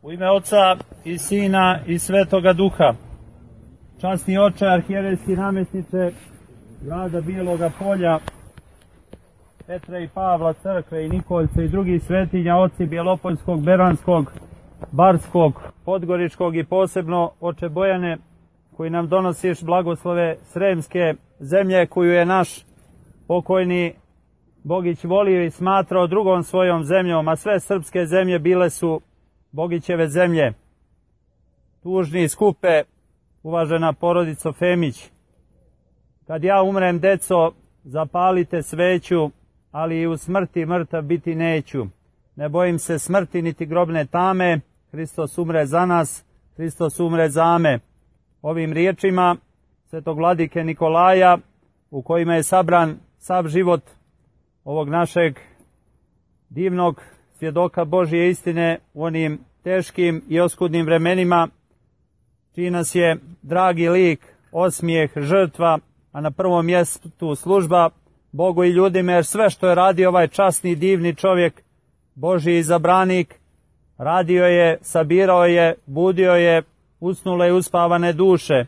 U ime Oca i Sina i Svetoga Duha. Časni oče, arhijerejski namjesniče grada Bijeloga Polja, Petra i Pavla, crkve i Nikolce i drugih svetinja, oci Bjelopoljskog, Beranskog, Barskog, Podgoričkog i posebno oče Bojane, koji nam donosiš blagoslove Sremske zemlje, koju je naš pokojni Bogić volio i smatrao drugom svojom zemljom, a sve srpske zemlje bile su Bogićeve zemlje. Tužni skupe, uvažena porodico Femić, kad ja umrem, deco, zapalite sveću, ali i u smrti mrtav biti neću. Ne bojim se smrti niti grobne tame, Hristos umre za nas, Hristos umre za me. Ovim riječima svetog vladike Nikolaja, u kojima je sabran sav život ovog našeg divnog svjedoka Božje istine u onim teškim i oskudnim vremenima, čiji nas je dragi lik, osmijeh, žrtva, a na prvom mjestu služba Bogu i ljudima, jer sve što je radio ovaj časni, divni čovjek, Božji izabranik, radio je, sabirao je, budio je usnule i uspavane duše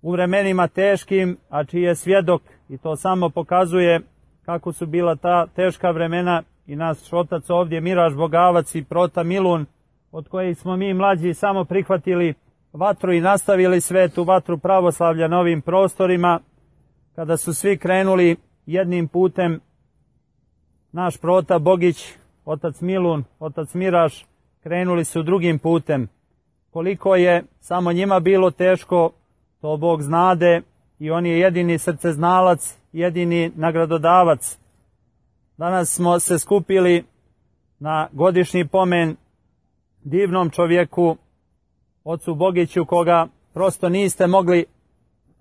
u vremenima teškim, a čiji je svjedok, i to samo pokazuje kako su bila ta teška vremena, i naš otac ovdje, Miraš Bogavac i Prota Milun, od kojih smo mi mlađi samo prihvatili vatru i nastavili svetu vatru pravoslavlja na ovim prostorima, kada su svi krenuli jednim putem. Naš Prota Bogić, otac Milun, otac Miraš, krenuli su drugim putem. Koliko je samo njima bilo teško, to Bog znade, i on je jedini srceznalac, jedini nagradodavac. Danas smo se skupili na godišnji pomen divnom čovjeku, ocu Bogiću, koga prosto niste mogli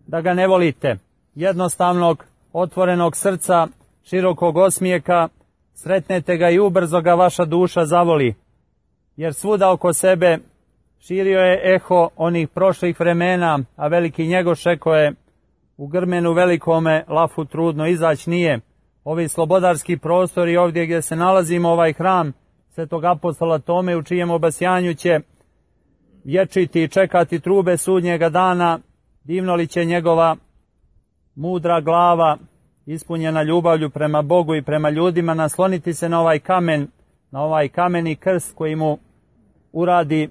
da ga ne volite. Jednostavnog, otvorenog srca, širokog osmijeka, sretnete ga i ubrzo ga vaša duša zavoli. Jer svuda oko sebe širio je eho onih prošlih vremena, a veliki Njegoš rekao je: u grmenu velikome lafu trudno izaći nije. Ovi slobodarski prostori ovdje gdje se nalazimo, ovaj hram svetog apostola Tome, u čijem obasjanju će vječiti i čekati trube sudnjega dana, divno li će njegova mudra glava, ispunjena ljubavlju prema Bogu i prema ljudima, nasloniti se na ovaj kamen, na ovaj kameni krst koji mu uradi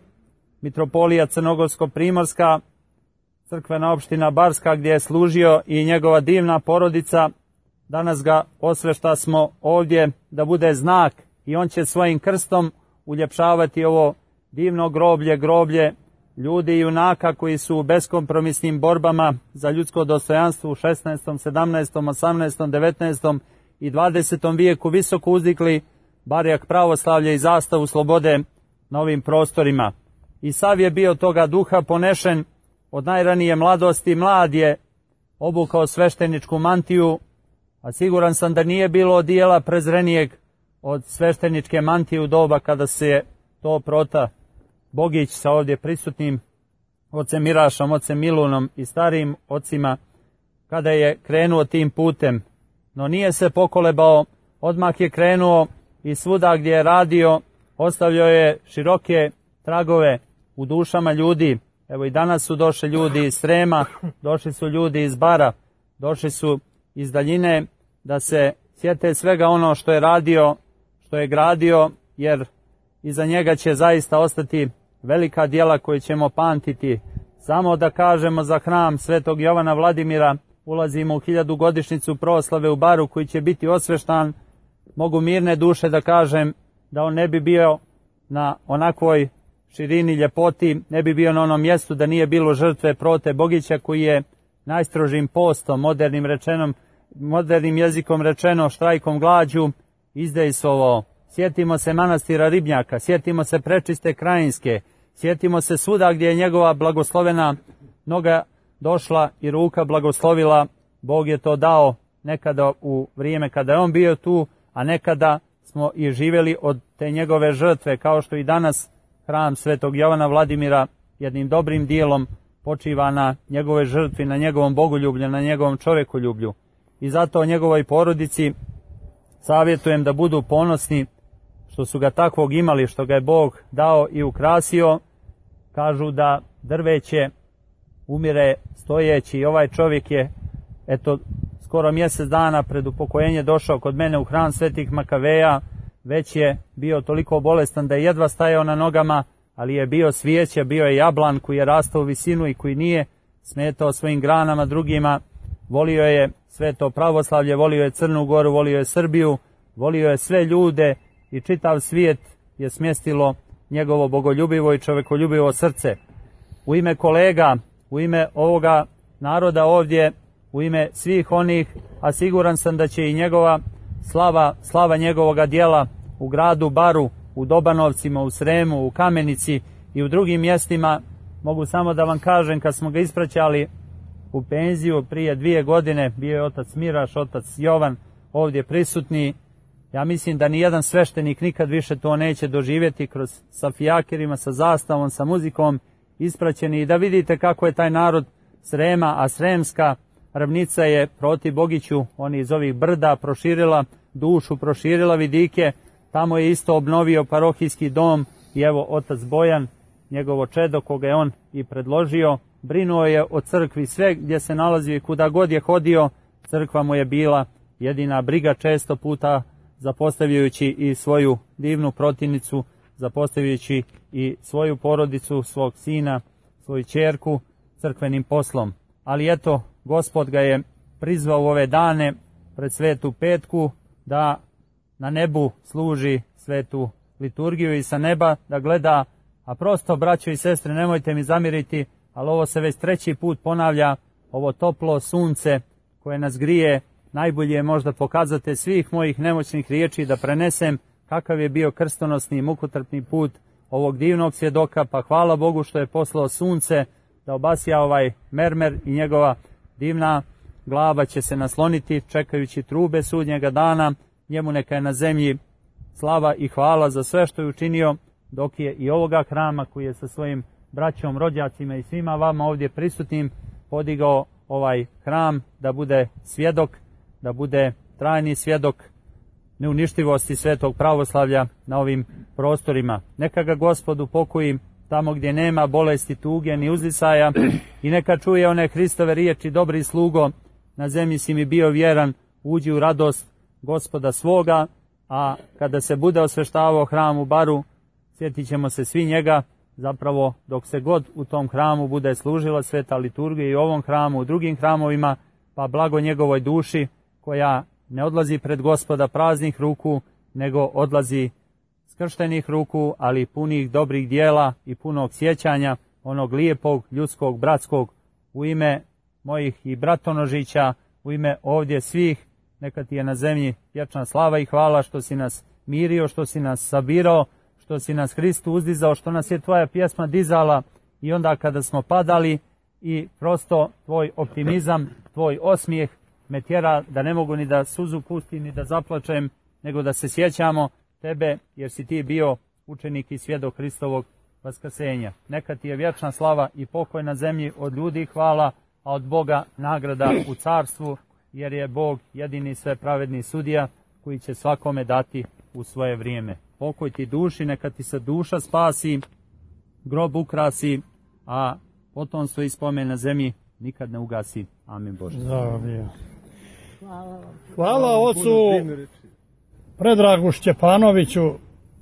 mitropolija Crnogorsko-Primorska, crkvena opština Barska, gdje je služio i njegova divna porodica. Danas ga osvešta smo ovdje da bude znak, i on će svojim krstom uljepšavati ovo divno groblje, groblje ljudi i junaka koji su u beskompromisnim borbama za ljudsko dostojanstvo u 16., 17., 18., 19. i 20. vijeku visoko uzdikli barjak pravoslavlja i zastavu slobode na ovim prostorima. I sav je bio toga duha ponešen od najranije mladosti. Mlad je obukao svešteničku mantiju, a siguran sam da nije bilo odijela prezrenijeg od svešteničke mantije u doba kada se je to Prota Bogić sa ovdje prisutnim ocem Mirašom, ocem Milunom i starijim ocima, kada je krenuo tim putem. No nije se pokolebao, odmah je krenuo i svuda gdje je radio ostavljao je široke tragove u dušama ljudi. Evo i danas su došli ljudi iz Srema, došli su ljudi iz Bara, došli su iz daljine da se sjete svega ono što je radio, što je gradio, jer iza njega će zaista ostati velika djela koje ćemo pamtiti. Samo da kažemo za hram svetog Jovana Vladimira, ulazimo u 1000. godišnjicu proslave u Baru, koji će biti osveštan. Mogu mirne duše da kažem da on ne bi bio na onakvoj širini, ljepoti, ne bi bio na onom mjestu da nije bilo žrtve Prote Bogića, koji je najstrožim postom, modernim jezikom rečeno, štrajkom glađu, izdejstvovao. Sjetimo se manastira Ribnjaka, sjetimo se Prečiste Krajinske, sjetimo se svuda gdje je njegova blagoslovena noga došla i ruka blagoslovila. Bog je to dao nekada u vrijeme kada je on bio tu, a nekada smo i živjeli od te njegove žrtve, kao što i danas hram svetog Jovana Vladimira jednim dobrim dijelom počiva na njegove žrtvi, na njegovom bogoljublju, na njegovom čovjekoljublju. I zato njegovoj porodici savjetujem da budu ponosni što su ga takvog imali, što ga je Bog dao i ukrasio. Kažu da drveće umire stojeći i ovaj čovjek je, eto, skoro mjesec dana pred upokojenje došao kod mene u hram Svetih Makaveja. Već je bio toliko bolestan da je jedva stajao na nogama, ali je bio svijeće, bio je jablan koji je rastao u visinu i koji nije smetao svojim granama drugima. Volio je sveto pravoslavlje, volio je Crnu Goru, volio je Srbiju, volio je sve ljude i čitav svijet je smjestilo njegovo bogoljubivo i čovekoljubivo srce. U ime kolega, u ime ovoga naroda ovdje, u ime svih onih, a siguran sam da će i njegova slava njegovoga djela u gradu Baru, u Dobanovcima, u Sremu, u Kamenici i u drugim mjestima. Mogu samo da vam kažem, kad smo ga ispraćali u penziju prije 2 godine, bio je otac Miraš, otac Jovan ovdje prisutni. Ja mislim da nijedan sveštenik nikad više to neće doživjeti, sa fijakerima, sa zastavom, sa muzikom ispraćeni, i da vidite kako je taj narod Srema, a Sremska ravnica je proti Bogiću, oni iz ovih brda, proširila dušu, proširila vidike. Tamo je isto obnovio parohijski dom i evo otac Bojan, njegovo čedo koga je on i predložio, brinuo je o crkvi sve gdje se nalazio i kuda god je hodio, crkva mu je bila jedina briga, često puta zapostavljajući i svoju divnu protivnicu, zapostavljajući i svoju porodicu, svog sina, svoju ćerku crkvenim poslom. Ali eto, Gospod ga je prizvao u ove dane pred Svetu Petku da na nebu služi svetu liturgiju i sa neba da gleda. A prosto, braćo i sestre, nemojte mi zamiriti, ali ovo se već 3. put ponavlja, ovo toplo sunce koje nas grije. Najbolje je možda pokazate svih mojih nemoćnih riječi da prenesem kakav je bio krstonosni i mukotrpni put ovog divnog svjedoka, pa hvala Bogu što je poslao sunce da obasja ovaj mermer i njegova divna glava će se nasloniti čekajući trube sudnjega dana. Njemu neka je na zemlji slava i hvala za sve što je učinio, dok je i ovoga hrama koji je sa svojim braćom, rođacima i svima vama ovdje prisutnim podigao ovaj hram da bude svjedok, da bude trajni svjedok neuništivosti svetog pravoslavlja na ovim prostorima. Neka ga Gospod upokoji tamo gdje nema bolesti, tuge ni uzdisaja i neka čuje one Hristove riječi: dobri slugo, na zemlji si mi bio vjeran, uđi u radost Gospoda svoga. A kada se bude osveštavao hram u Baru, sjetit ćemo se svi njega, zapravo dok se god u tom hramu bude služila sveta liturgija i u ovom hramu, u drugim hramovima, pa blago njegovoj duši koja ne odlazi pred Gospoda praznih ruku, nego odlazi skrštenih ruku, ali punih dobrih dijela i punog sjećanja onog lijepog, ljudskog, bratskog. U ime mojih i bratonožića, u ime ovdje svih, neka ti je na zemlji vječna slava i hvala što si nas mirio, što si nas sabirao, što si nas Hristu uzdizao, što nas je tvoja pjesma dizala i onda kada smo padali, i prosto tvoj optimizam, tvoj osmijeh me tjera da ne mogu ni da suzu pustim, ni da zaplačem, nego da se sjećamo tebe, jer si ti bio učenik i svjedok Hristovog vaskrsenja. Neka ti je vječna slava i pokoj na zemlji, od ljudi hvala, a od Boga nagrada u carstvu, jer je Bog jedini sve pravedni sudija koji će svakome dati u svoje vrijeme. Pokoj ti duši, neka ti se duša spasi, grob ukrasi, a potomstvo i spomen na zemlji nikad ne ugasi. Amin Bože. Hvala ocu Predragu Šćepanoviću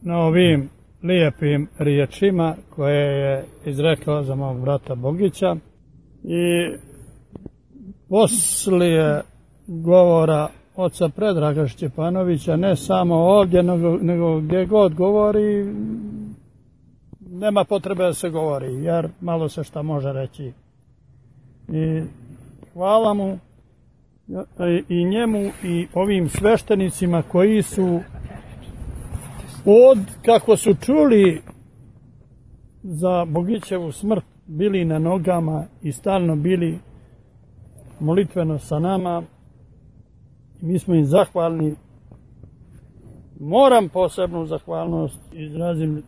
na ovim lijepim riječima koje je izrekao za mog brata Bogića. I poslije govora oca Predraga Šćepanovića, ne samo ovdje, nego gdje god govori, nema potrebe da se govori, jer malo se šta može reći. I hvala mu i njemu i ovim sveštenicima koji su kako su čuli za Bogićevu smrt, bili na nogama i stalno bili molitveno sa nama. Mi smo im zahvalni. Moram posebnu zahvalnost izrazim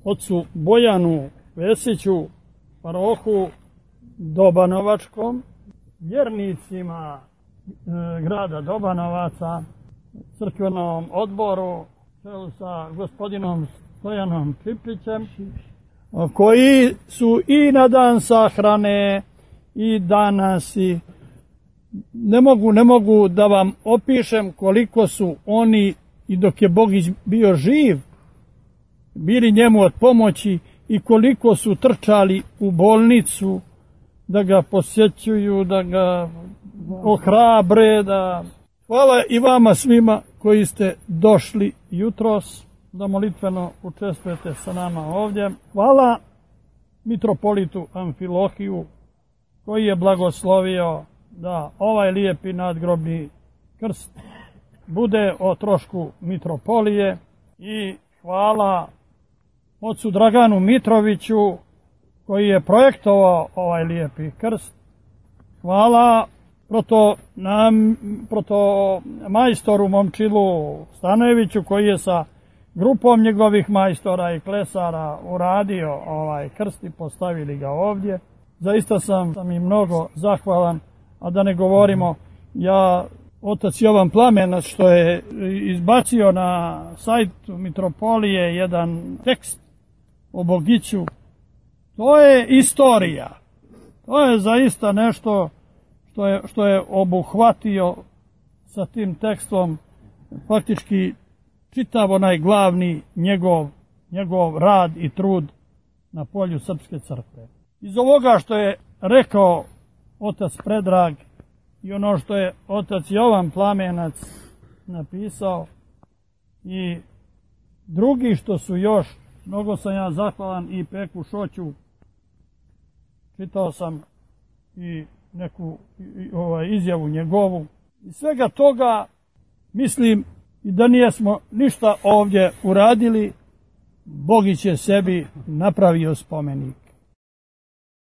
ocu Bojanu Vesiću, parohu Dobanovačkom, vjernicima grada Dobanovaca, crkvenom odboru sa gospodinom Stojanom Čiplićem, koji su i na dan sahrane i danas i ne mogu da vam opišem koliko su oni i dok je Bogić bio živ bili njemu od pomoći i koliko su trčali u bolnicu da ga posjećuju, da ga ohrabre. Hvala i vama svima koji ste došli jutros da molitveno učestvujete sa nama ovdje. Hvala mitropolitu Amfilohiju koji je blagoslovio da ovaj lijepi nadgrobni krst bude o trošku mitropolije i hvala ocu Draganu Mitroviću koji je projektovao ovaj lijepi krst. Hvala proto majstoru Momčilu Stanojeviću koji je sa grupom njegovih majstora i klesara uradio ovaj krst i postavili ga ovdje. Zaista sam im mnogo zahvalan, a da ne govorimo, otac Jovan Plamenac što je izbacio na sajtu mitropolije jedan tekst o Bogiću, to je istorija. To je zaista nešto što je obuhvatio sa tim tekstom faktički čitav onaj glavni njegov rad i trud na polju Srpske crkve. Iz ovoga što je rekao otac Predrag i ono što je otac Jovan Plamenac napisao i drugi što su još, mnogo sam ja zahvalan i Peku Šoću, čitao sam i neku izjavu njegovu. Iz svega toga mislim i da nijesmo ništa ovdje uradili, Bogić je sebi napravio spomenik.